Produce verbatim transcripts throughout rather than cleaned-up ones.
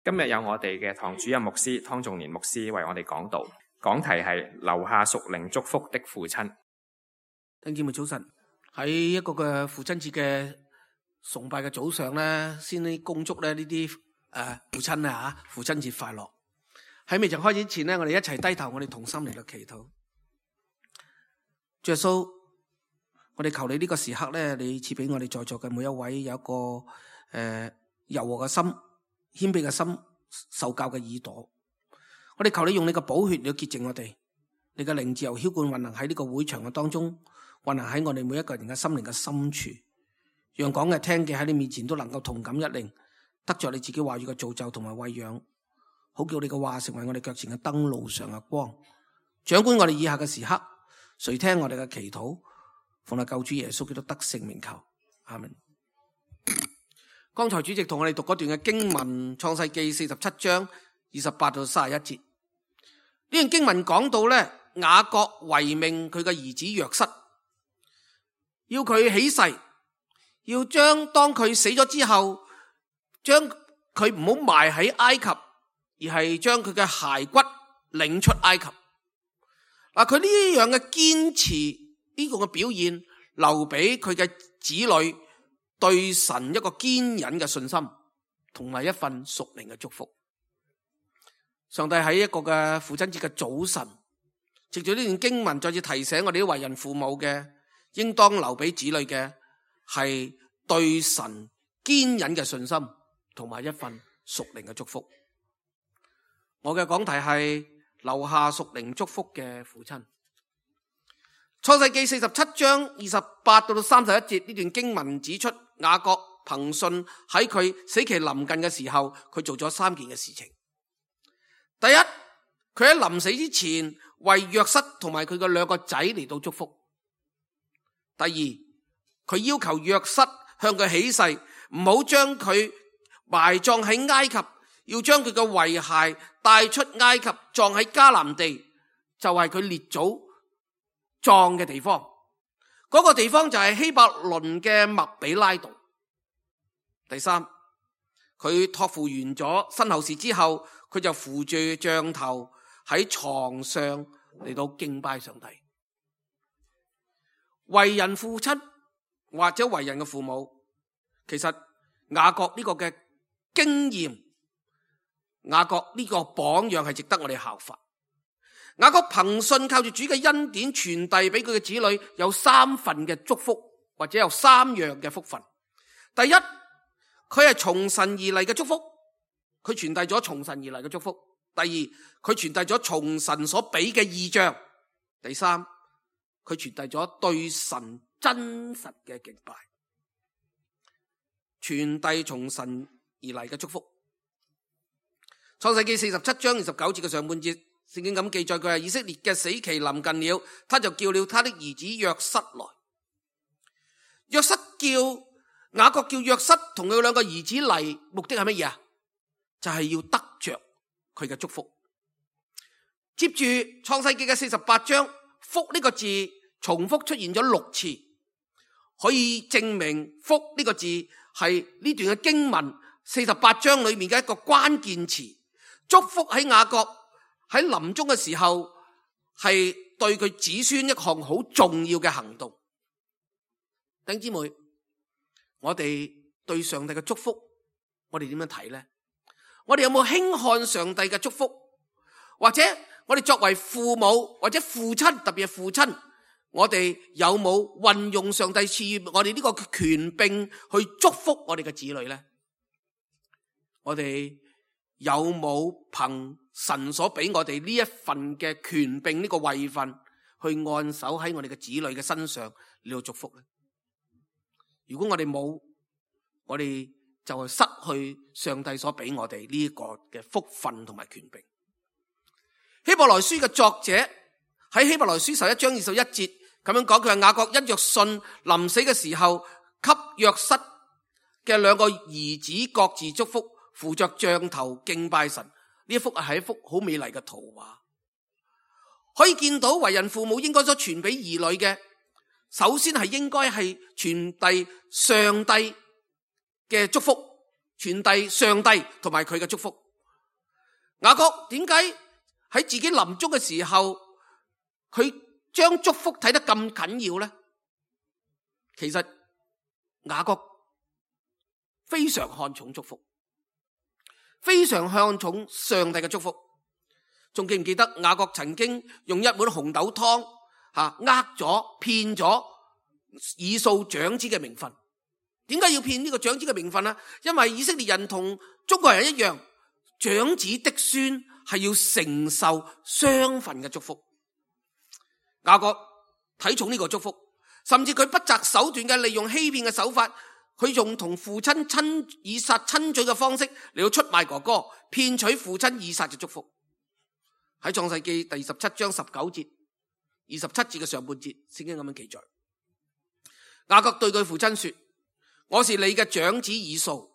今日有我哋嘅堂主任牧師湯仲年牧師為我哋講道，講題係留下屬靈祝福的父親。弟兄姊妹早晨，喺一個嘅父親節嘅崇拜嘅早上咧，先呢恭祝咧呢啲誒父親啊吓，父親節快樂。喺未曾開始之前咧，我哋一齊低頭，我哋同心嚟到祈禱。主耶穌，我哋求你呢個時刻咧，你賜俾我哋在座嘅每一位有一個誒、呃、柔和嘅心、謙卑嘅心、受教嘅耳朵。我哋求你用你嘅寶血嚟潔淨我哋，你嘅靈自由澆灌運行喺呢個會場嘅當中，運行喺我哋每一個人嘅心靈嘅深處，讓講嘅聽嘅喺你面前都能夠同感一靈，得着你自己話語嘅造就同埋餵養，好叫你嘅話成為我哋腳前嘅燈，路上嘅光，掌管我哋以下嘅時刻。垂聽我哋嘅祈禱，奉我救主耶穌基督得勝名求，阿們。剛才主席同我哋讀嗰段嘅經文，創世記四十七章二十八到三十一節。呢段經文講到咧，雅各遺命佢嘅兒子約瑟，要佢起誓，要將當佢死咗之後，將佢唔好埋喺埃及，而係將佢嘅骸骨領出埃及。嗱，佢呢樣嘅堅持，呢個嘅表現，留俾佢嘅子女對神一個堅忍嘅信心，同埋一份屬靈嘅祝福。上帝喺一個嘅父親節嘅早晨，藉住呢段經文，再次提醒我哋啲為人父母嘅，應當留俾子女嘅係對神堅忍嘅信心，同埋一份屬靈嘅祝福。我嘅講題係留下屬靈祝福嘅父親。創世記四十七章二十八到三十一節，呢段經文指出，雅各憑信喺佢死期臨近嘅時候，佢做咗三件嘅事情。第一，佢喺臨死之前為約瑟同埋佢嘅兩個仔嚟到祝福。第二，佢要求約瑟向佢起誓，唔好將佢埋葬喺埃及，要將佢嘅遺骸帶出埃及，葬喺迦南地，就係佢列祖葬嘅地方。嗰個地方就係希伯倫嘅麥比拉道。第三，佢託付完咗身後事之後，佢就扶住杖頭喺床上嚟到敬拜上帝。為人父親或者為人嘅父母，其實雅各呢個嘅經驗，雅各呢個榜樣係值得我哋效法。雅各憑信靠住主嘅恩典傳遞俾佢嘅子女有三份嘅祝福，或者有三樣嘅福分。第一，佢係從神而嚟嘅祝福，佢傳遞咗從神而嚟嘅祝福。第二，佢傳遞咗從神所俾嘅異象。第三，佢傳遞咗對神真實嘅敬拜。傳遞從神而嚟嘅祝福。創世記四十七章二十九節嘅上半節，聖經咁記載，佢係以色列嘅死期臨近了，他就叫了他的兒子約瑟來。約瑟叫雅各叫約瑟同佢兩個兒子嚟，目的係乜嘢啊？就係、是、要得着佢嘅祝福。接住創世記嘅四十八章，福呢個字重複出現咗六次，可以證明福呢個字係呢段嘅經文四十八章裏面嘅一個關鍵詞。祝福喺雅各喺臨終嘅時候，係對佢子孫一項好重要嘅行動。弟兄姊妹，我哋對上帝嘅祝福，我哋點樣睇呢？我哋有冇輕看上帝嘅祝福？或者我哋作為父母或者父親，特別係父親，我哋有冇運用上帝賜予我哋呢個權柄去祝福我哋嘅子女呢？我哋有冇憑神所俾我哋呢一份嘅權柄，呢個位份去按手喺我哋嘅子女嘅身上嚟到祝福呢？如果我哋冇，我哋就係失去上帝所俾我哋呢一個嘅福分同埋權柄。希伯來書嘅作者喺希伯來書十一章二十一節咁樣講，佢係雅各因着信臨死嘅時候，給約瑟嘅兩個兒子各自祝福，扶着杖頭敬拜神。呢一幅係一幅好美麗嘅圖畫，可以見到為人父母應該所傳俾兒女嘅，首先係應該係傳遞上帝嘅祝福，傳遞上帝同埋佢嘅祝福。雅各點解喺自己臨終嘅時候，佢將祝福睇得咁緊要呢？其實雅各非常看重祝福，非常看重上帝嘅祝福。仲記唔記得雅各曾經用一碗紅豆湯吓呃咗騙咗以掃長子嘅名分？點解要騙呢個長子嘅名分呢？因為以色列人同中國人一樣，長子的孫係要承受雙份嘅祝福。雅各睇重呢個祝福，甚至佢不擇手段嘅利用欺騙嘅手法，佢用同父親親以撒親嘴嘅方式嚟到出賣哥哥，騙取父親以撒嘅祝福。喺創世記第十七章十九節、二十七節嘅上半節，聖經咁樣記載：雅各對佢父親說，我是你嘅長子以掃，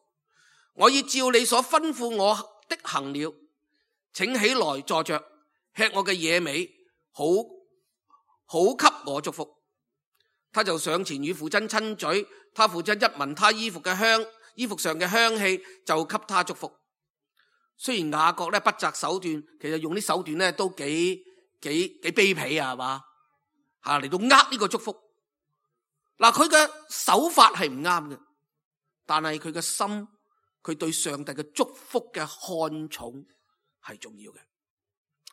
我已照你所吩咐我的行了，請起來坐着，吃我嘅野味，好好給我祝福。他就上前與父親親嘴，他父親一聞他衣服嘅香，衣服上嘅香氣，就給他祝福。雖然雅各咧不擇手段，其實用啲手段咧都幾幾幾卑鄙啊，係嘛吓，嚟到呃呢個祝福。嗱，佢嘅手法係唔啱嘅，但係佢嘅心，佢對上帝嘅祝福嘅看重係重要嘅，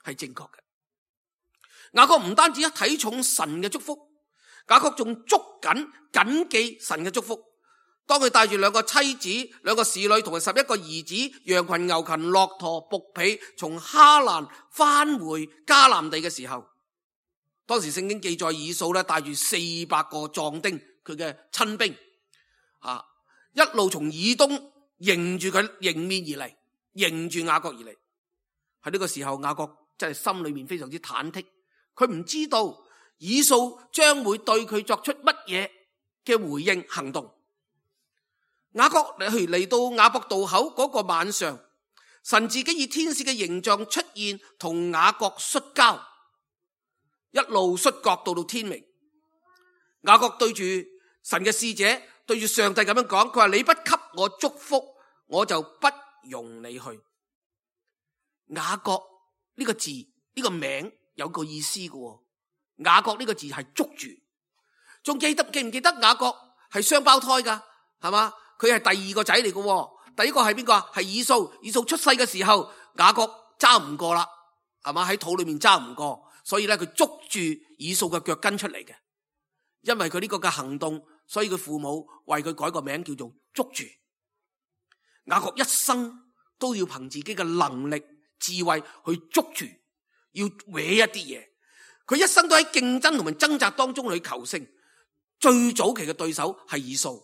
係正確嘅。雅各唔單止一睇重神嘅祝福，雅各仲捉緊謹記神嘅祝福。當佢帶住兩個妻子、兩個侍女同埋十一個兒子、羊群、牛群、駱駝、僕婢，從哈蘭返回迦南地嘅時候，當時聖經記載以掃咧帶住四百個壯丁，佢嘅親兵啊，一路從以東迎住佢迎面而嚟，迎住雅各而嚟。喺呢個時候，雅各真係心裏面非常之忐忑，佢唔知道以掃將會對佢作出乜嘢嘅回應行動。雅各嚟到雅博渡口嗰個晚上，神自己以天使嘅形象出現，同雅各摔跤，一路摔角到到天明。雅各對住神嘅使者，對住上帝咁樣講，佢話：你不給我祝福，我就不容你去。雅各呢個字，呢個名有個意思嘅。雅各呢個字係捉住，仲記得記唔記得雅各係雙胞胎噶，係嘛？佢係第二個仔嚟嘅，第一個係邊個啊？係以掃。以掃出世嘅時候，雅各揸唔過啦，係嘛？喺肚裏面揸唔過，所以咧佢捉住以掃嘅腳跟出嚟嘅。因為佢呢個嘅行動，所以佢父母為佢改個名叫做捉住。雅各一生都要憑自己嘅能力、智慧去捉住，要搲一啲嘢。佢一生都喺競爭同埋掙扎當中去求勝。最早期嘅對手係以掃。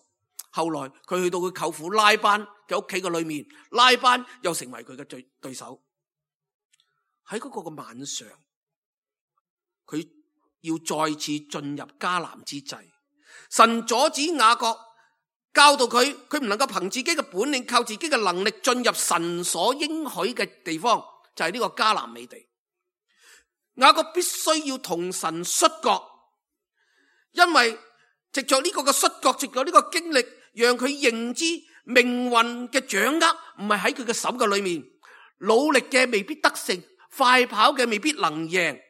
後來佢去到佢舅父拉班嘅屋企嘅裏面，拉班又成為佢嘅對對手。喺嗰個嘅晚上，佢要再次進入迦南之際，神阻止雅各，教導佢，佢唔能夠憑自己嘅本領，靠自己嘅能力進入神所應許嘅地方，就係呢個迦南美地。雅各必須要同神摔角，因為藉着呢個嘅摔角，藉着呢個經歷，讓佢認知命運嘅掌握唔係喺佢嘅手嘅裏面，努力嘅未必得勝，快跑嘅未必能贏。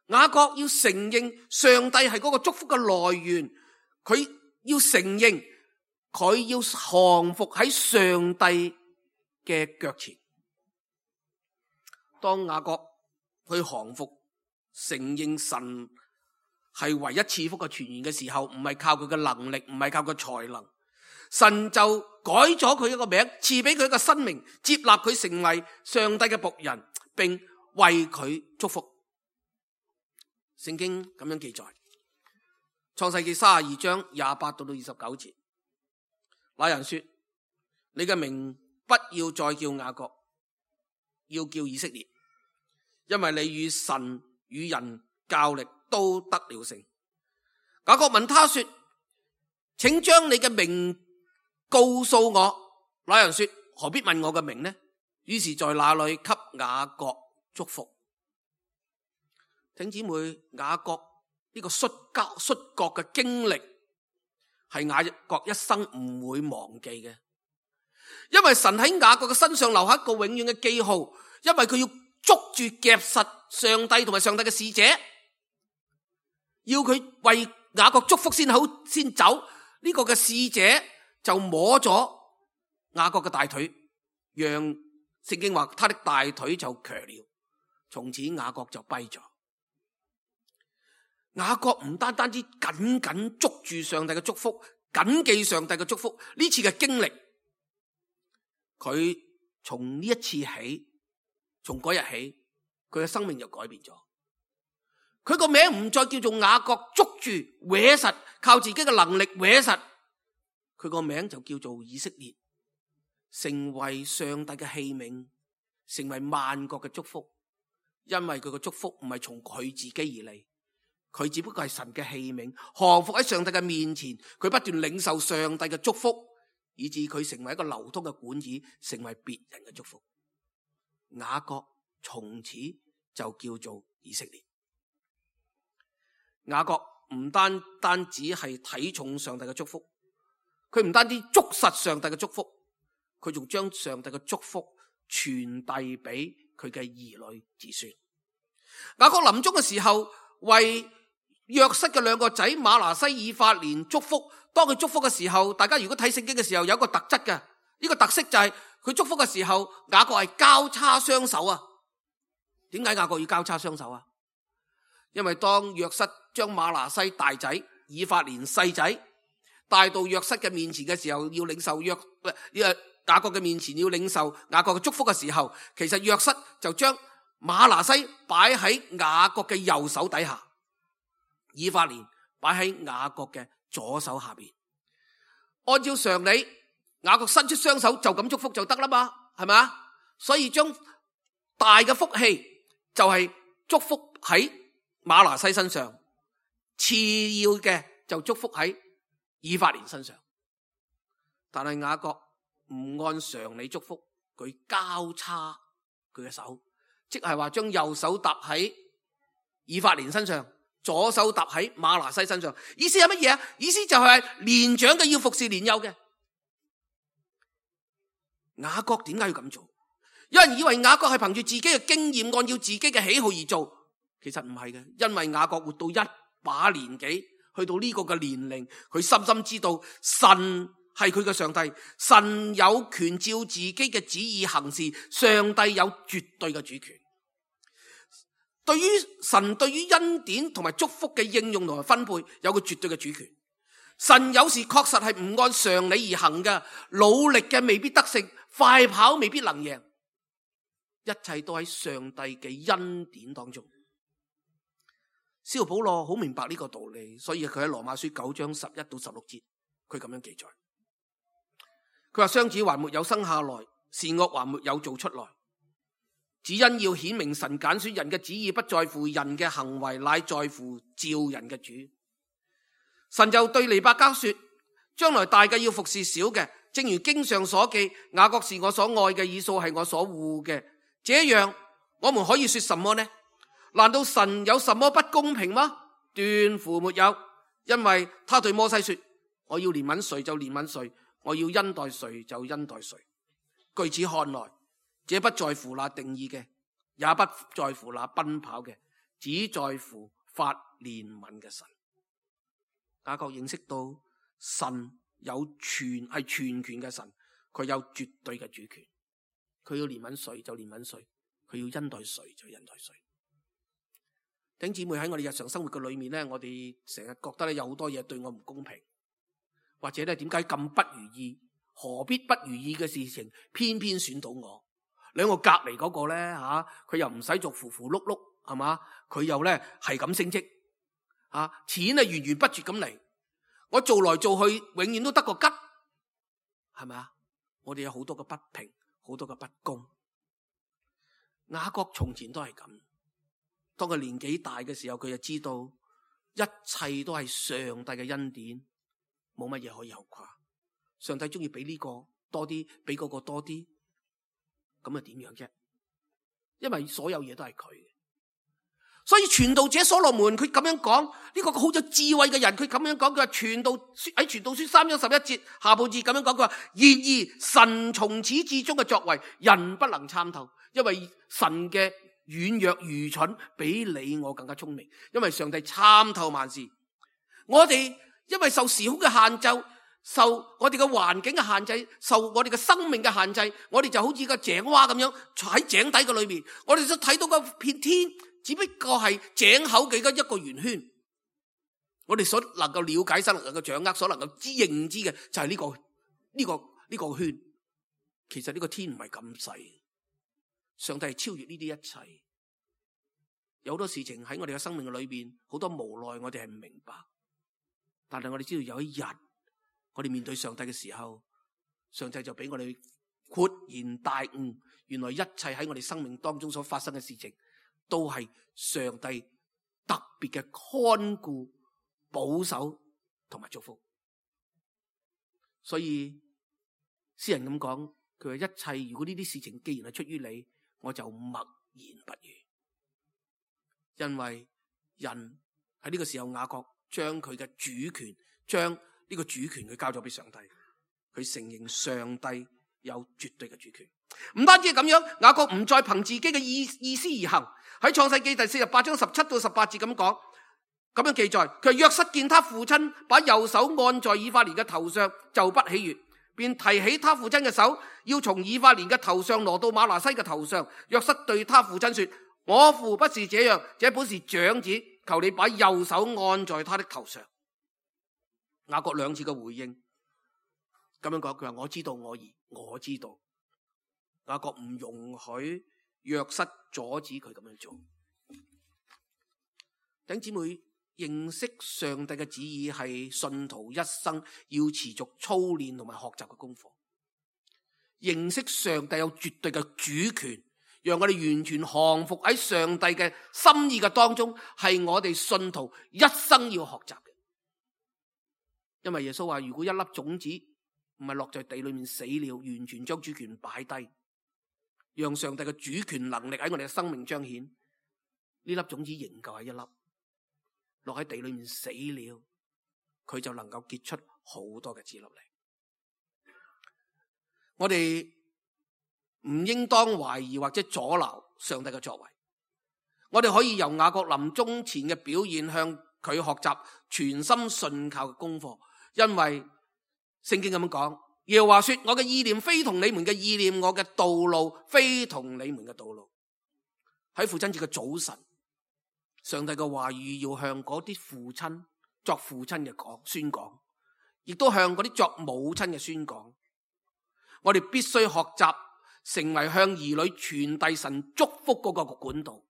雅各要承認上帝係嗰個祝福嘅來源，佢要承認佢要降服喺上帝嘅腳前。當雅各去降服，承認神係唯一賜福嘅泉源嘅時候，唔係靠佢嘅能力，唔係靠佢才能，神就改咗佢一個名，賜俾佢一個新名，接納佢成為上帝嘅僕人，並為佢祝福。聖經咁樣記載，創世記三十二章廿八到到二十九節，那人說：你嘅名不要再叫雅各，要叫以色列，因為你與神與人較力都得了勝。雅各問他說：請將你嘅名告訴我。那人說：何必問我嘅名呢？於是在那裏給雅各祝福。弟兄姊妹，雅各呢個摔跤摔角嘅經歷係雅各一生唔會忘記嘅，因為神喺雅各嘅身上留下一個永遠嘅記號，因為佢要捉住夾實上帝同埋上帝嘅使者，要佢為雅各祝福先好先走。呢、這個嘅使者就摸咗雅各嘅大腿，讓聖經話他的大腿就瘸了，從此雅各就跛咗。雅各唔單單止緊緊捉住上帝嘅祝福，謹記上帝嘅祝福，呢次嘅經歷，佢從呢一次起，從嗰日起，佢嘅生命就改變咗。佢個名唔再叫做雅各捉住搲實，靠自己嘅能力搲實，佢個名就叫做以色列，成為上帝嘅器皿，成為萬國嘅祝福。因為佢嘅祝福唔係從佢自己而嚟，佢只不過係神嘅器皿，降服喺上帝嘅面前，佢不斷領受上帝嘅祝福，以致佢成為一個流通嘅管子，成為別人嘅祝福。雅各從此就叫做以色列。雅各唔單單只係睇重上帝嘅祝福，佢唔單止捉實上帝嘅祝福，佢仲將上帝嘅祝福傳遞俾佢嘅兒女子孫。雅各臨終嘅時候，為約瑟嘅兩個仔馬拿西、以法蓮祝福。當佢祝福嘅時候，大家如果睇聖經嘅時候，有一個特質嘅，呢個特色就係佢祝福嘅時候，雅各係交叉雙手啊。點解雅各要交叉雙手啊？因為當約瑟將馬拿西大仔、以法蓮細仔帶到約瑟嘅面前嘅時候，要領受約呢個雅各嘅面前要領受雅各嘅祝福嘅時候，其實約瑟就將馬拿西擺喺雅各嘅右手底下，以法蓮擺喺雅各嘅左手下邊。按照常理，雅各伸出雙手就咁祝福就得啦嘛，係咪啊？所以將大嘅福氣就係祝福喺馬拿西身上，次要嘅就祝福喺以法蓮身上。但係雅各唔按常理祝福，佢交叉佢嘅手，即係話將右手搭喺以法蓮身上，左手搭喺馬拿西身上。意思係乜嘢啊？意思就係年長嘅要服侍年幼嘅。雅各點解要咁做？有人以為雅各係憑住自己嘅經驗，按照自己嘅喜好而做，其實唔係嘅。因為雅各活到一把年紀，去到呢個嘅年齡，佢深深知道神係佢嘅上帝，神有權照自己嘅旨意行事，上帝有絕對嘅主權。對於神對於恩典同埋祝福嘅應用同埋分配，有個絕對嘅主權。神有時確實係唔按常理而行嘅，努力嘅未必得勝，快跑未必能贏，一切都喺上帝嘅恩典當中。使徒保羅好明白呢個道理，所以佢喺羅馬書九章十一到十六節，佢咁樣記載。佢話雙子還沒有生下來，善惡還沒有做出來，只因要顯明神揀選人嘅旨意不在乎人嘅行為，乃在乎召人嘅主。神就對尼伯迦說，將來大嘅要服侍小嘅，正如經上所記，雅各是我所愛嘅，以掃係我所惡嘅。這樣我們可以說什麼呢？難道神有什麼不公平嗎？斷乎沒有，因為他對摩西說，我要憐憫誰就憐憫誰，我要恩待誰就恩待誰。據此看來，這不在乎那定義嘅，也不在乎那奔跑嘅，只在乎發憐憫嘅神。雅各認識到神有全係全權嘅神，佢有絕對嘅主權，佢要憐憫誰就憐憫誰，佢要恩待誰就恩待誰。弟兄姊妹，喺我哋日常生活嘅裏面咧，我哋成日覺得咧有好多嘢對我唔公平，或者咧點解咁不如意？何必不如意嘅事情偏偏選到我？兩個隔籬嗰個咧吓，佢、啊、又唔使做扶扶碌碌，係嘛？佢又咧係咁升職，啊錢啊源源不絕咁嚟，我做來做去永遠都得個吉，係咪啊？我哋有好多嘅不平，好多嘅不公。雅各從前都係咁。當佢年紀大嘅時候，佢就知道一切都係上帝嘅恩典，冇乜嘢可以後誇。上帝中意俾呢個多啲，俾嗰個多啲，咁啊點樣啫？因為所有嘢都係佢嘅，所以傳道者所羅門佢咁樣講，呢個好有智慧嘅人，佢咁樣講，佢話傳道喺傳道書三章十一節下半節咁樣講，佢話然而神從始至終嘅作為，人不能參透，因為神嘅軟弱愚蠢比你我更加聰明，因為上帝參透萬事。我哋因為受時空嘅限制，受我哋嘅環境嘅限制，受我哋嘅生命嘅限制，我哋就好似個井蛙咁樣坐喺井底嘅裏面，我哋就睇到個片天只不過係井口嘅一個圓圈。我哋所能夠了解、所能夠掌握、所能夠知認知嘅就係呢個呢個呢個圈。其實呢個天唔係咁細，上帝係超越呢啲一切。有好多事情喺我哋嘅生命嘅裏邊，好多無奈我哋係唔明白。但係我哋知道有一日，我哋面對上帝嘅時候，上帝就俾我哋豁然大悟，原來一切喺我哋生命當中所發生嘅事情，都係上帝特別嘅看顧、保守同埋祝福。所以詩人咁講，佢話一切如果呢啲事情既然係出於你，我就默然不語。因為人喺呢個時候，雅各將佢嘅主權，將呢個主權佢交咗俾上帝，佢承認上帝有絕對嘅主權。唔單止係咁樣，雅各唔再憑自己嘅意意思而行。喺創世記第四十八章十七到十八節咁講，咁樣記載，佢話約瑟見他父親把右手按在以法蓮嘅頭上，就不喜悅，便提起他父親嘅手，要從以法蓮嘅頭上挪到瑪拿西嘅頭上。約瑟對他父親說：我父不是這樣，這本是長子，求你把右手按在他的頭上。雅各兩次嘅回應，咁樣講，佢話我知道我兒，我知道。雅各唔容許約瑟阻止佢咁樣做。弟兄姊妹，認識上帝嘅旨意係信徒一生要持續操練同埋學習嘅功課。認識上帝有絕對嘅主權，讓我哋完全降服喺上帝嘅心意嘅當中，係我哋信徒一生要學習嘅。因為耶穌話，如果一粒種子唔係落在地裏面死了，完全將主權擺低，讓上帝嘅主權能力喺我哋嘅生命彰顯，呢粒種子仍舊係一粒，落喺地裏面死了，佢就能夠結出好多嘅子粒嚟。我哋唔應當懷疑或者阻撓上帝嘅作為，我哋可以由雅各臨終前嘅表現向佢學習全心信靠嘅功課。因為聖經咁樣講，耶和華說，我嘅意念非同你們嘅意念，我嘅道路非同你們嘅道路。喺父親節嘅早晨，上帝嘅話語要向嗰啲父親作父親嘅講宣講，亦都向嗰啲作母親嘅宣講。我哋必須學習成為向兒女傳遞神祝福嗰個管道，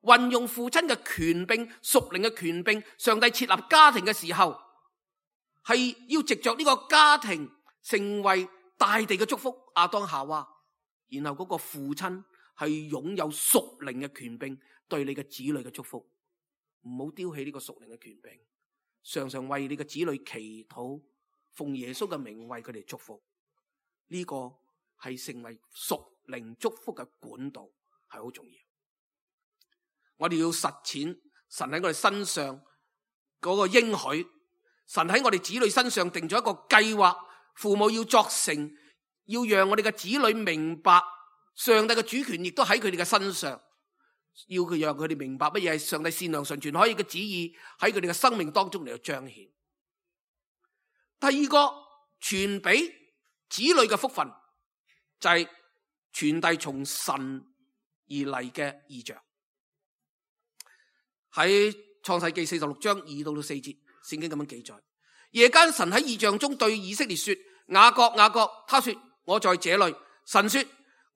運用父親嘅權柄、屬靈嘅權柄。上帝設立家庭嘅時候，係要藉着呢個家庭成為大地嘅祝福，亞當夏娃。然後嗰個父親係擁有屬靈嘅權柄，對你嘅子女嘅祝福。唔好丟棄呢個屬靈嘅權柄，常常為你嘅子女祈禱，奉耶穌嘅名為佢哋祝福。呢個係成為屬靈祝福嘅管道，係好重要。我哋要實踐神喺我哋身上嗰個應許，神喺我哋子女身上定咗一個計劃，父母要作成，要讓我哋嘅子女明白上帝嘅主權，亦都喺佢哋嘅身上，要佢讓佢哋明白乜嘢係上帝善良純全可以嘅旨意喺佢哋嘅生命當中嚟到彰顯。第二個傳俾子女嘅福分就係傳遞從神而嚟嘅異象。喺創世記四十六章二到到四節，聖經咁樣記載：夜間神喺異象中對以色列說，雅各雅各，他說我在這裏。神說，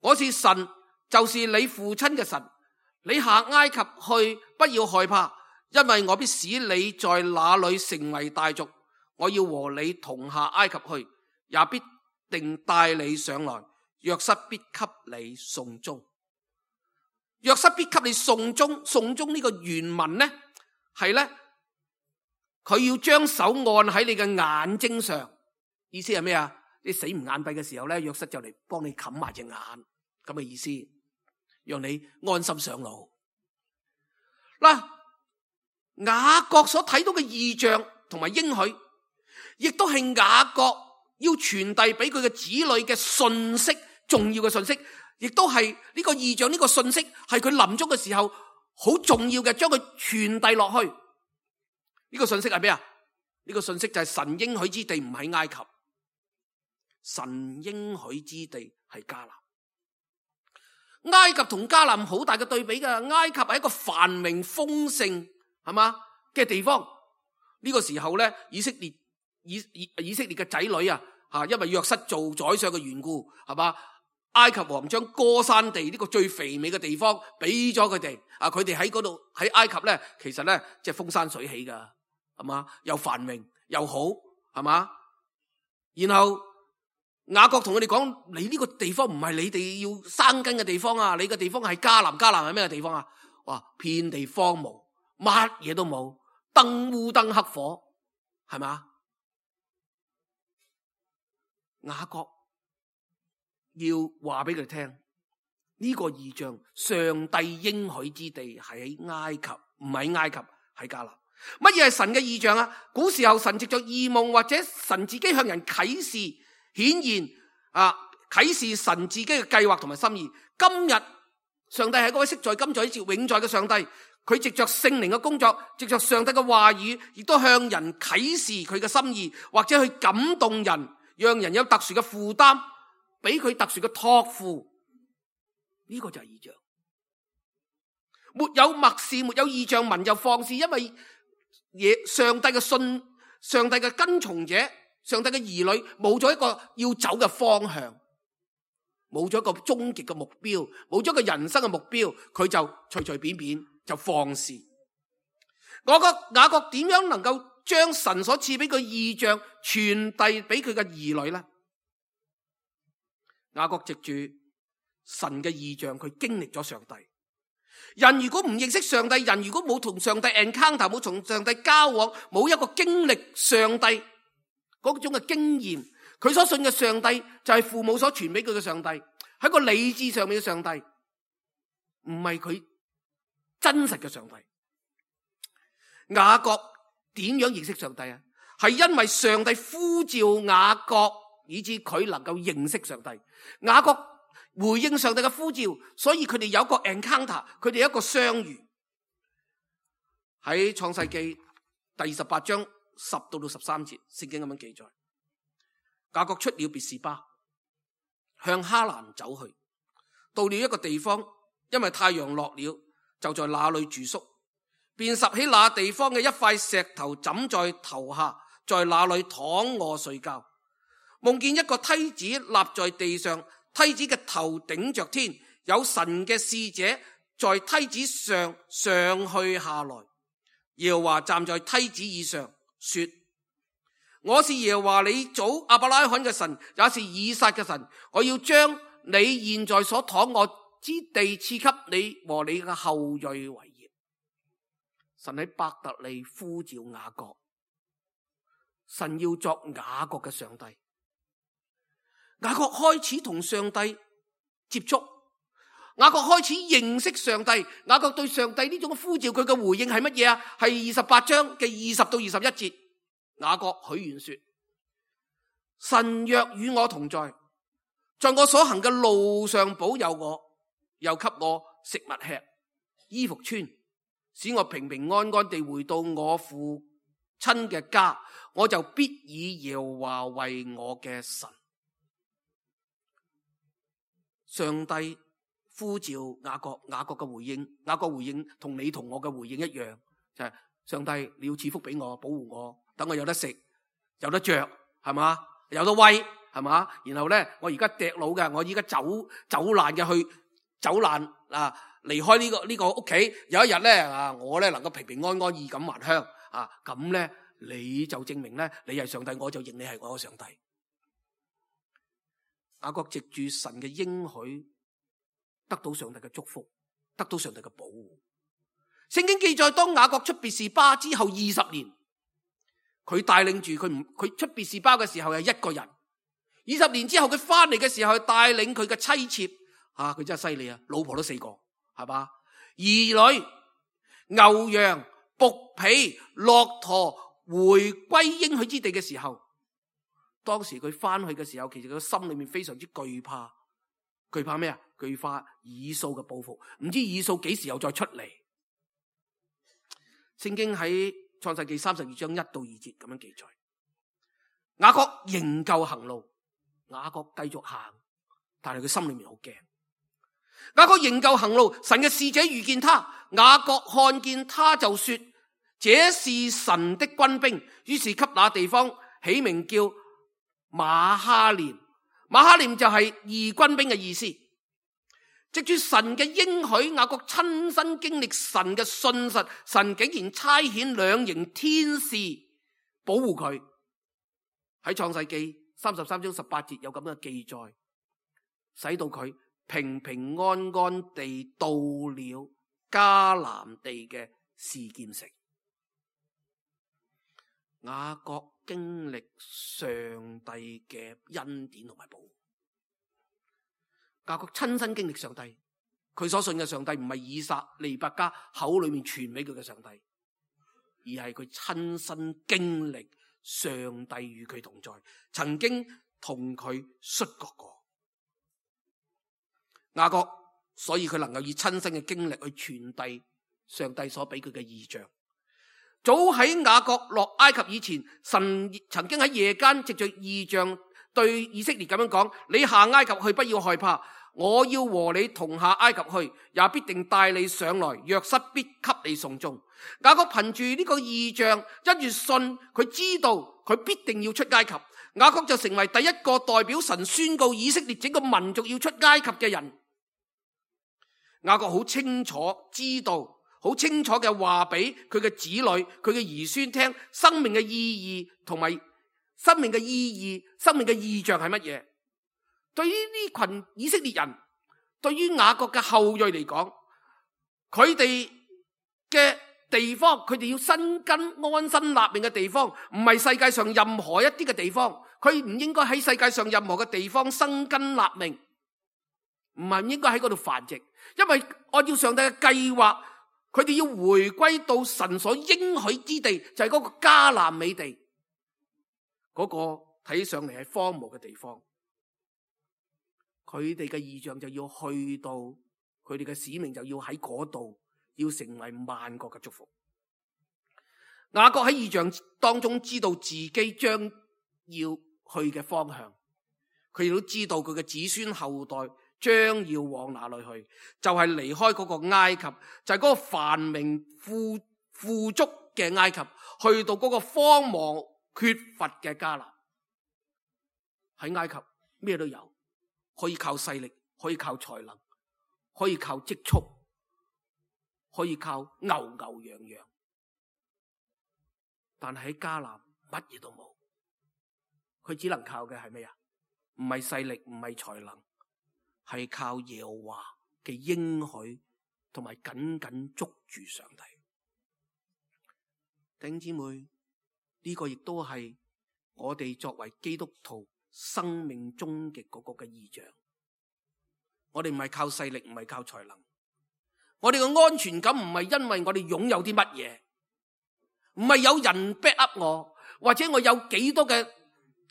我是神，就是你父親嘅神。你下埃及去，不要害怕，因為我必使你在那裏成為大族。我要和你同下埃及去，也必定帶你上來。約瑟必給你送終。約瑟必給你送終。送終呢個原文呢，係呢，佢要將手按喺你嘅眼睛上，意思係咩啊？你死唔眼閉嘅時候咧，約瑟就嚟幫你冚埋隻眼，咁嘅意思，讓你安心上路。嗱，雅各所睇到嘅異象同埋應許，亦都係雅各要傳遞俾佢嘅子女嘅信息，重要嘅信息，亦都係呢個異象，呢個信息係佢臨終嘅時候好重要嘅，將佢傳遞落去。呢個信息係咩啊？呢個信息就係神應許之地唔喺埃及，神應許之地係迦南。埃及同迦南好大嘅對比噶，埃及係一個繁榮豐盛係嘛嘅地方。呢個時候咧，以色列以以以色列嘅仔女啊，吓，因為約瑟做宰相嘅緣故，係嘛，埃及王將歌珊地呢個最肥美嘅地方俾咗佢哋，啊，佢哋喺嗰度喺埃及咧，其實咧即係風生水起噶，係嘛，又繁榮又好，係嘛。然後雅各同佢哋講：你呢個地方唔係你哋要生根嘅地方啊！你嘅地方係迦南，迦南係咩地方啊？哇，遍地荒蕪，乜嘢都冇，燈烏燈黑火，係嘛？雅各要話俾佢哋聽，呢個異象，上帝應許之地係喺埃及，唔係埃及，喺迦南。乜嘢係神嘅異象啊？古時候神藉着異夢或者神自己向人啟示。顯現啊，啟示神自己嘅計劃同埋心意。今日上帝係嗰位昔在今在直永在嘅上帝，佢藉着聖靈嘅工作，藉着上帝嘅話語，亦都向人啟示佢嘅心意，或者去感動人，讓人有特殊嘅負擔，俾佢特殊嘅託付。呢、這個就係異象。沒有默示，沒有異象，民就放肆，因為嘢上帝嘅信，上帝嘅跟從者。上帝嘅兒女冇咗一個要走嘅方向，冇咗一個終極嘅目標，冇咗一個人生嘅目標，佢就隨隨便便就放肆。我覺得雅各點樣能夠將神所賜俾佢異象傳遞俾佢嘅兒女呢？雅各藉住神嘅異象，佢經歷咗上帝。人如果唔認識上帝，人如果冇同上帝 encounter， 冇同上帝交往，冇一個經歷上帝嗰種嘅經驗，佢所信嘅上帝就係父母所傳俾佢嘅上帝，喺個理智上面嘅上帝，唔係佢真實嘅上帝。雅各點樣認識上帝啊？係因為上帝呼召雅各，以致佢能夠認識上帝。雅各回應上帝嘅呼召，所以佢哋有一個 encounter， 佢哋有一個相遇。喺創世記第二十八章十到到十三節，聖經咁樣記載：雅各出了別是巴，向哈蘭走去，到了一個地方，因為太陽落了，就在那裏住宿，便拾起那地方嘅一塊石頭枕在頭下，在那裏躺臥睡覺，夢見一個梯子立在地上，梯子嘅頭頂着天，有神嘅使者在梯子上上去下來，耶和華站在梯子以上，說：我是耶和華你祖亞伯拉罕嘅神，也是以撒嘅神。我要將你現在所躺臥之地賜給你和你嘅後裔為業。神喺伯特利呼召雅各，神要作雅各嘅上帝。雅各開始同上帝接觸，雅各開始認識上帝。雅各對上帝呢種呼召，佢嘅回應係乜嘢啊？係二十八章嘅二十到二十一節。雅各許願說：神若與我同在，在我所行嘅路上保佑我，又給我食物吃，衣服穿，使我平平安安地回到我父親嘅家，我就必以耶和華為我嘅神。上帝呼召雅各，雅各嘅回應，雅各回應同你同我嘅回應一樣，就係、是、上帝你要賜福俾我，保護我，等我有得食，有得着，係嘛，有得威，係嘛。然後咧，我而家趯佬嘅，我而家走走難嘅去走難啊，離開呢、這個呢、這個屋企。有一日咧啊，我咧能夠平平安安衣錦還鄉啊，咁咧你就證明咧你係上帝，我就認你係我嘅上帝。雅各藉住神嘅應許，得到上帝嘅祝福，得到上帝嘅保護。聖經記載，當雅各出別是巴之後二十年，佢帶領住佢唔佢出別是巴嘅時候係一個人。二十年之後佢翻嚟嘅時候，帶領佢嘅妻妾，啊，佢真係犀利啊！老婆都四個，係嘛？兒女，牛羊、僕婢、駱駝回歸應許之地嘅時候，當時佢翻去嘅時候，其實佢心裏面非常之懼怕，懼怕咩啊？懼怕以掃嘅報復，唔知以掃幾時又再出嚟。聖經喺創世記三十二章一到二節咁樣記載，雅各仍舊行路，雅各繼續行，但係佢心裏面好驚。雅各仍舊行路，神嘅使者遇見他，雅各看見他就說：這是神的軍兵。於是給那地方起名叫馬哈念，馬哈念就係義軍兵嘅意思。藉住神嘅應許，雅各親身經歷神嘅信實，神竟然差遣兩營天使保護佢。喺創世記三十三章十八節有咁嘅記載，使到佢平平安安地到了迦南地嘅示劍城。雅各經歷上帝嘅恩典同埋保護，雅各親身經歷上帝，佢所信嘅上帝唔係以撒、利百加口裏面傳俾佢嘅上帝，而係佢親身經歷上帝與佢同在，曾經同佢摔角過。雅各所以佢能夠以親身嘅經歷去傳遞上帝所俾佢嘅異象。早喺雅各落埃及以前，神曾經喺夜間藉着異象對以色列咁樣講：你下埃及去，不要害怕，我要和你同下埃及去，也必定帶你上來，約瑟必給你送終。雅各憑住呢個異象，一月信，佢知道佢必定要出埃及，雅各就成為第一個代表神宣告以色列整個民族要出埃及嘅人。雅各好清楚知道，好清楚嘅話俾佢嘅子女、佢嘅兒孫聽，生命嘅意義同埋生命嘅意義、生命嘅意象係乜嘢？對於呢群以色列人，對於雅各嘅後裔嚟講，佢哋嘅地方，佢哋要生根安身立命嘅地方，唔係世界上任何一啲嘅地方，佢唔應該喺世界上任何嘅地方生根立命，唔係唔應該喺嗰度繁殖，因為按照上帝嘅計劃，佢哋要回歸到神所應許之地，就係嗰個迦南美地，嗰個睇上嚟係荒蕪嘅地方。佢哋嘅異象就要去到，佢哋嘅使命就要喺嗰度，要成為萬國嘅祝福。雅各喺異象當中知道自己將要去嘅方向，佢亦都知道佢嘅子孫後代將要往哪裏去，就係離開嗰個埃及，就係嗰個繁榮富富足嘅埃及，去到嗰個荒蕪缺乏嘅迦南。喺埃及咩都有，可以靠勢力，可以靠才能，可以靠積蓄，可以靠牛牛羊羊，但係喺迦南乜嘢都冇，佢只能靠嘅係咩啊？唔係勢力，唔係才能，係靠耶和華嘅應許，同埋緊緊捉住上帝。弟兄姊妹，呢個亦都係我哋作為基督徒生命終極嗰個嘅異象。我哋唔係靠勢力，唔係靠才能，我哋嘅安全感唔係因為我哋擁有啲乜嘢，唔係有人 back up 我，或者我有幾多嘅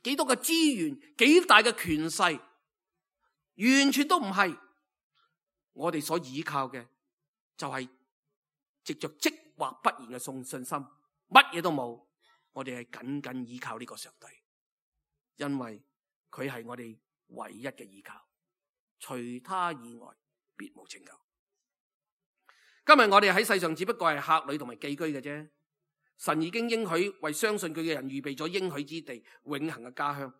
幾多嘅資源，幾大嘅權勢，完全都唔係。我哋所依靠嘅就係藉着即或不然嘅信信心，乜嘢都冇，我哋係緊緊依靠呢個上帝，因為佢係我哋唯一嘅依靠，除他以外別無拯救。今日我哋喺世上只不過係客旅同埋寄居嘅啫，神已經應許為相信佢嘅人預備咗應許之地，永恆嘅家鄉。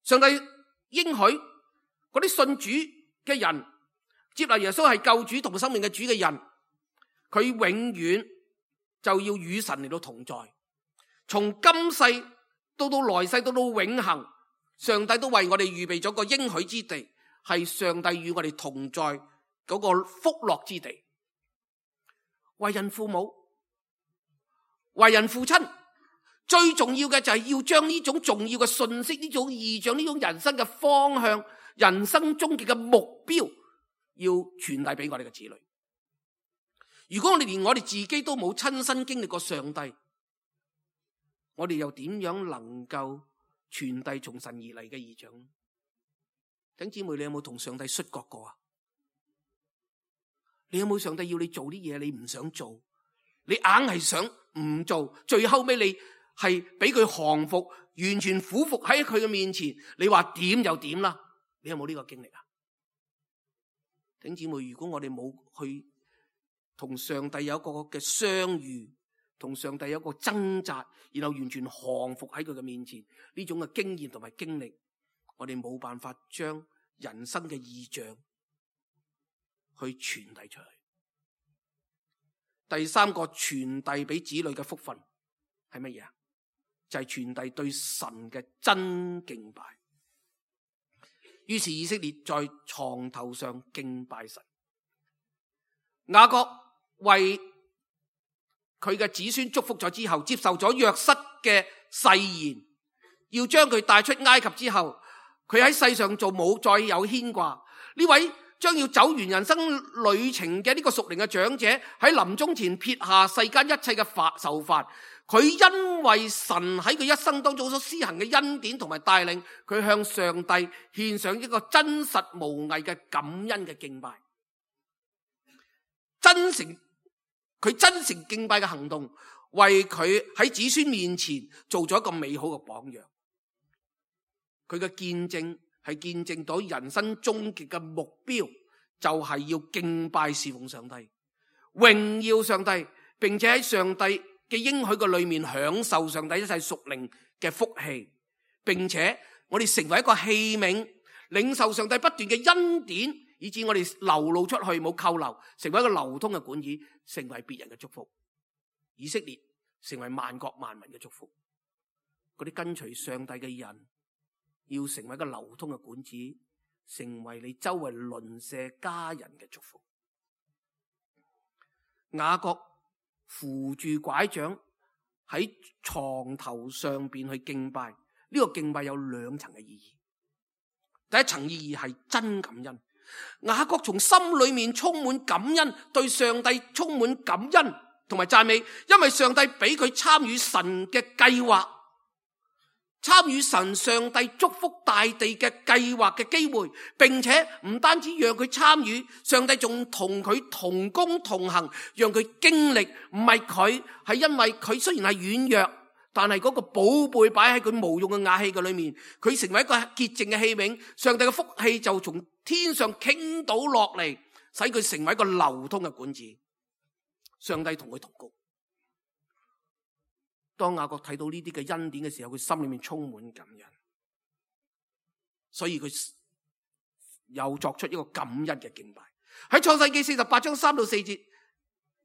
上帝應許嗰啲信主嘅人，接納耶穌係救主同生命嘅主嘅人，佢永遠就要與神嚟到同在，從今世到到來世到到永恆，上帝都為我哋預備咗個應許之地，係上帝與我哋同在嗰個福樂之地。為人父母、為人父親，最重要嘅就係要將呢種重要嘅信息、呢種異象、呢種人生嘅方向、人生終極嘅目標，要傳遞俾我哋嘅子女。如果我哋連我哋自己都冇親身經歷過上帝，我哋又點樣能夠傳遞從神而嚟嘅異象？弟兄姊妹，你有冇同上帝摔角過啊？你有冇上帝要你做啲嘢你唔想做，你硬係想唔做，最後尾你係俾佢降服，完全俯伏喺佢嘅面前，你話點就點啦？你有冇呢個經歷啊？弟兄姊妹，如果我哋冇去同上帝有一個嘅相遇，同上帝有一個掙扎，然後完全降服喺佢嘅面前，呢種嘅經驗同埋經歷，我哋冇辦法將人生嘅異象去傳遞出去。第三個傳遞俾子女嘅福分係乜嘢啊？就係、是、傳遞對神嘅真敬拜。於是以色列在床頭上敬拜神。雅各為佢嘅子孫祝福咗之後，接受咗約瑟嘅誓言，要將佢帶出埃及之後，佢喺世上做冇再有牽掛。呢位將要走完人生旅程嘅呢個屬靈嘅長者，喺臨終前撇下世間一切嘅煩愁煩，佢因為神喺佢一生當中所施行嘅恩典同埋帶領，佢向上帝獻上一個真實無偽嘅感恩嘅敬拜。真誠，佢真誠敬拜嘅行動，為佢喺子孫面前做咗一個美好嘅榜樣。佢嘅見證係見證到人生終極嘅目標，就係要敬拜侍奉上帝，榮耀上帝，並且喺上帝嘅應許嘅裏面享受上帝一切屬靈嘅福氣，並且我哋成為一個器皿，領受上帝不斷嘅恩典，以致我哋流露出去冇扣留，成為一個流通嘅管子，成為別人嘅祝福。以色列成為萬國萬民嘅祝福。嗰啲跟隨上帝嘅人要成為一個流通嘅管子，成為你周圍鄰舍家人嘅祝福。雅各扶住拐杖喺床頭上邊去敬拜，呢個敬拜有兩層嘅意義。第一層意義係真感恩，雅各從心裏面充滿感恩，對上帝充滿感恩同埋讚美，因為上帝俾佢參與神嘅計劃，參與神上帝祝福大地嘅計劃嘅機會，並且唔單止讓佢參與，上帝仲同佢同工同行，讓佢經歷。唔係佢，係因為佢雖然係軟弱，但係嗰個寶貝擺喺佢無用嘅瓦器嘅裏面，佢成為一個潔淨嘅器皿，上帝嘅福氣就從天上傾倒落嚟，使佢成為一個流通嘅管子。上帝同佢同工。當雅各睇到呢啲嘅恩典嘅時候，佢心裏面充滿感恩，所以佢又作出一個感恩嘅敬拜。喺創世記四十八章三到四節，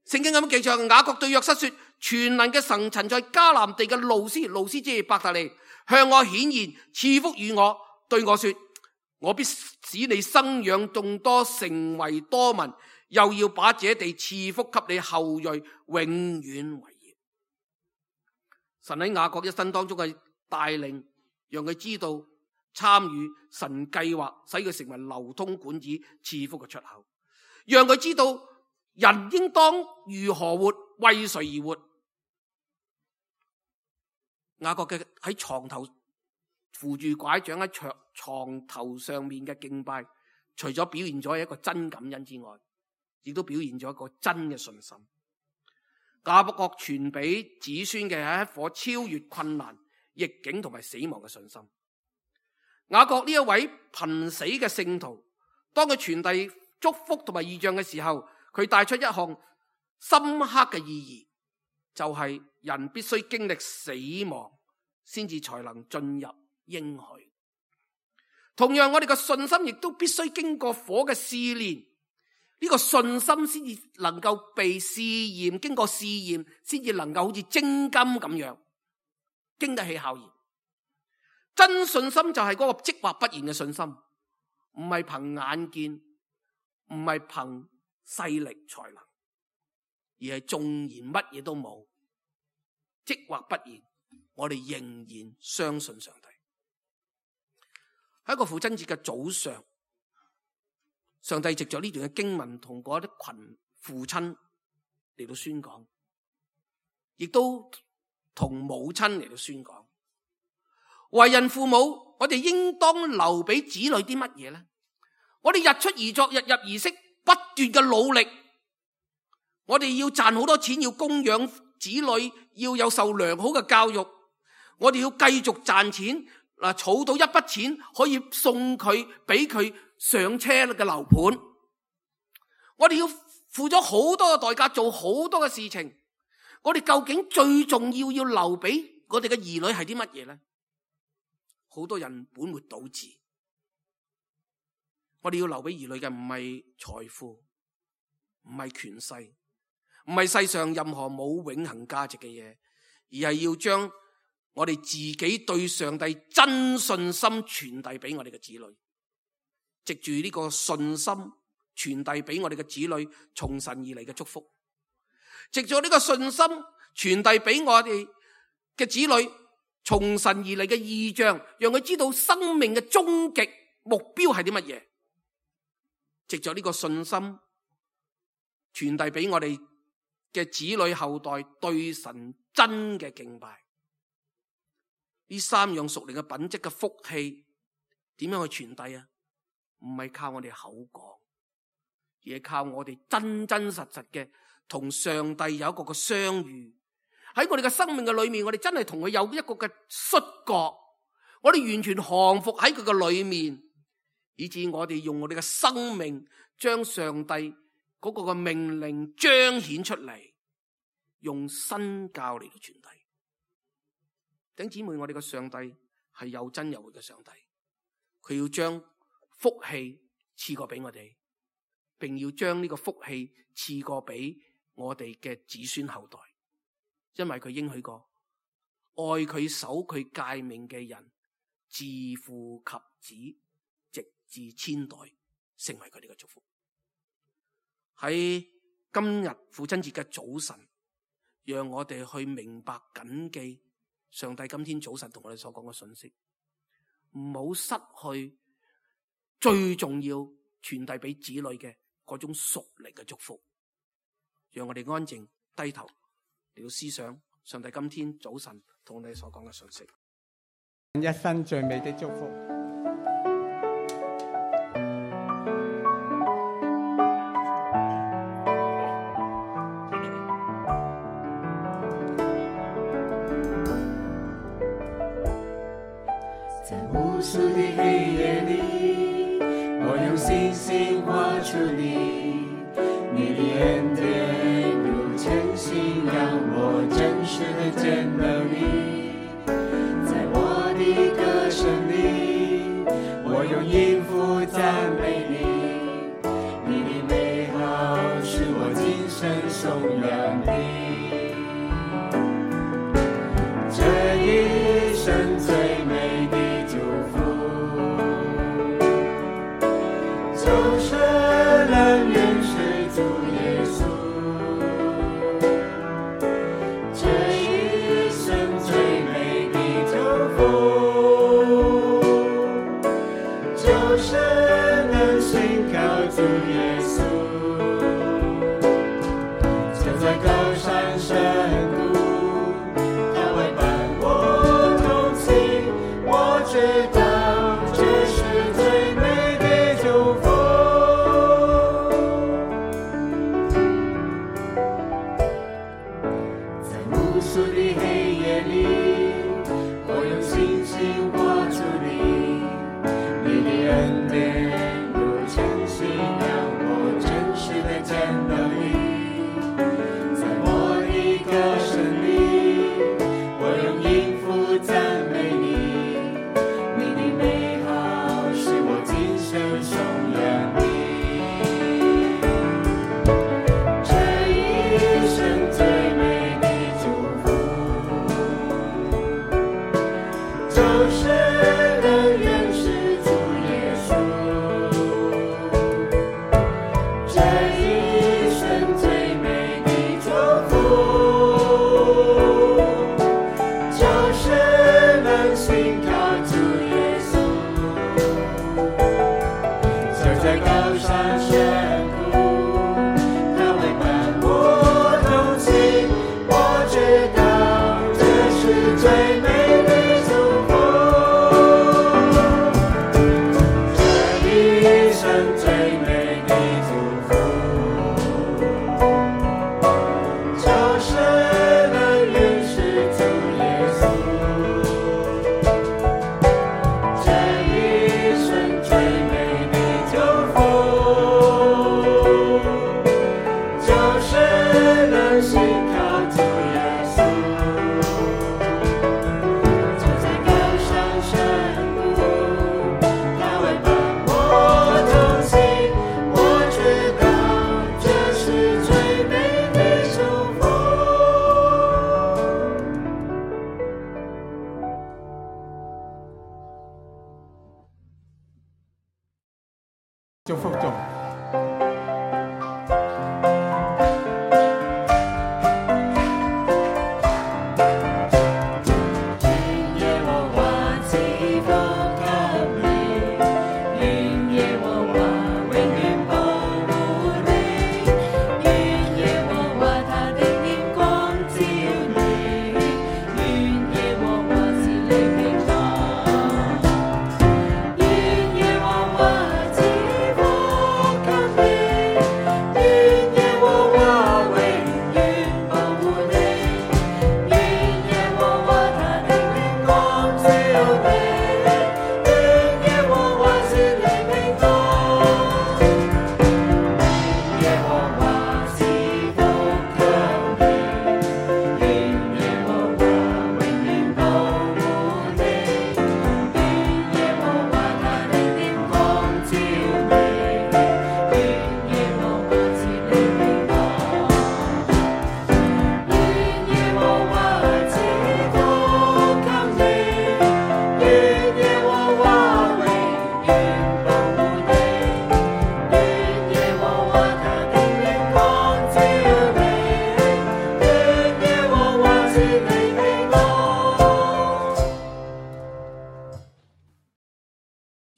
聖經咁樣記載，雅各對約瑟說：全能嘅神曾在迦南地嘅路斯，路斯即係伯特利，向我顯現，賜福與我，對我說：我必使你生養眾多，成為多民，又要把這地賜福給你後裔，永遠為業。神喺雅各一生當中嘅帶領，讓佢知道參與神計劃，使佢成為流通管子賜福嘅出口，讓佢知道人應當如何活，為誰而活。雅各嘅喺床頭扶住拐杖喺床床頭上面嘅敬拜，除咗表現咗一個真感恩之外，亦都表現咗一個真嘅信心。雅各傳俾子孫嘅係一顆超越困難、逆境同埋死亡嘅信心。雅各呢一位瀕死嘅聖徒，當佢傳遞祝福同埋異象嘅時候，佢帶出一項深刻嘅意義，就係、是、人必須經歷死亡，先至才能進入應許。同樣，我哋嘅信心亦都必須經過火嘅試煉。呢個信心先至能夠被試驗，經過試驗先至能夠好似精金咁樣經得起考驗。真信心就係嗰個即或不然嘅信心，唔係憑眼見，唔係憑勢力才能，而係縱然乜嘢都冇，即或不然，我哋仍然相信上帝。喺一個父親節嘅早上，上帝藉着呢段嘅經文同嗰啲群父親嚟到宣講，亦都同母親嚟到宣講。為人父母，我哋應當留俾子女啲乜嘢呢？我哋日出而作，日入而息，不斷嘅努力。我哋要賺好多錢，要供養子女，要有受良好嘅教育。我哋要繼續賺錢，嗱，儲到一筆錢可以送佢俾佢上車嘅樓盤。我哋要付咗好多嘅代價，做好多嘅事情。我哋究竟最重要要留俾我哋嘅兒女係啲乜嘢呢？好多人本末倒置。我哋要留俾兒女嘅唔係財富，唔係權勢，唔係世上任何冇永恆價值嘅嘢，而係要將我哋自己對上帝真信心傳遞俾我哋嘅子女，藉住呢個信心傳遞俾我哋嘅子女從神而嚟嘅祝福，藉住呢個信心傳遞俾我哋嘅子女從神而嚟嘅異象，讓佢知道生命嘅終極目標係啲乜嘢。藉住呢個信心傳遞俾我哋嘅子女後代對神真嘅敬拜。呢三樣屬靈嘅品質嘅福氣點樣去傳遞啊？唔係靠我哋口講，而係靠我哋真真實實嘅同上帝有一個嘅相遇。喺我哋嘅生命嘅裏面，我哋真係同佢有一個嘅摔角，我哋完全降服喺佢嘅裏面，以致我哋用我哋嘅生命將上帝嗰個嘅命令彰顯出嚟，用新教嚟到傳遞。弟兄姊妹，我哋嘅上帝係有真有活嘅上帝，佢要將福氣賜過俾我哋，並要將呢個福氣賜過俾我哋嘅子孫後代，因為佢應許過，愛佢守佢誡命嘅人，自父及子，直至千代，成為佢哋嘅祝福。喺今日父親節嘅早晨，讓我哋去明白謹記上帝今天早晨同我哋所講嘅信息，唔好失去最重要傳遞俾子女嘅嗰種屬靈嘅祝福。讓我哋安靜低頭嚟到思想上帝今天早晨同我哋所講嘅信息。一生最美的祝福。無數的黑夜裏，我用星星畫出你，你的恩典如晨星，讓我真實的見到你。在我的歌聲裏，我用音符讚美你，你的美好使我今生頌揚你。這一生最美的就是能認識主耶穌，這一生最美的祝福，就是能信靠主耶穌，站在高山深谷，他會伴我同行，我知道這是最美的祝福。無數的黑夜裏，我用星星畫出你，你的恩典如晨星，讓我真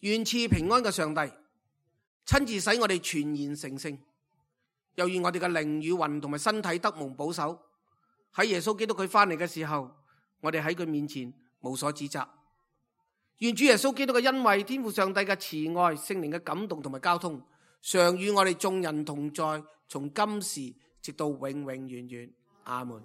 願賜平安嘅上帝親自使我哋全然成聖，又願我哋嘅靈與魂同埋身體得蒙保守。喺耶穌基督佢翻嚟嘅時候，我哋喺佢面前無所指責。願主耶穌基督嘅恩惠、天父上帝嘅慈愛、聖靈嘅感動同埋交通，常與我哋眾人同在，從今時直到永永遠遠。阿門。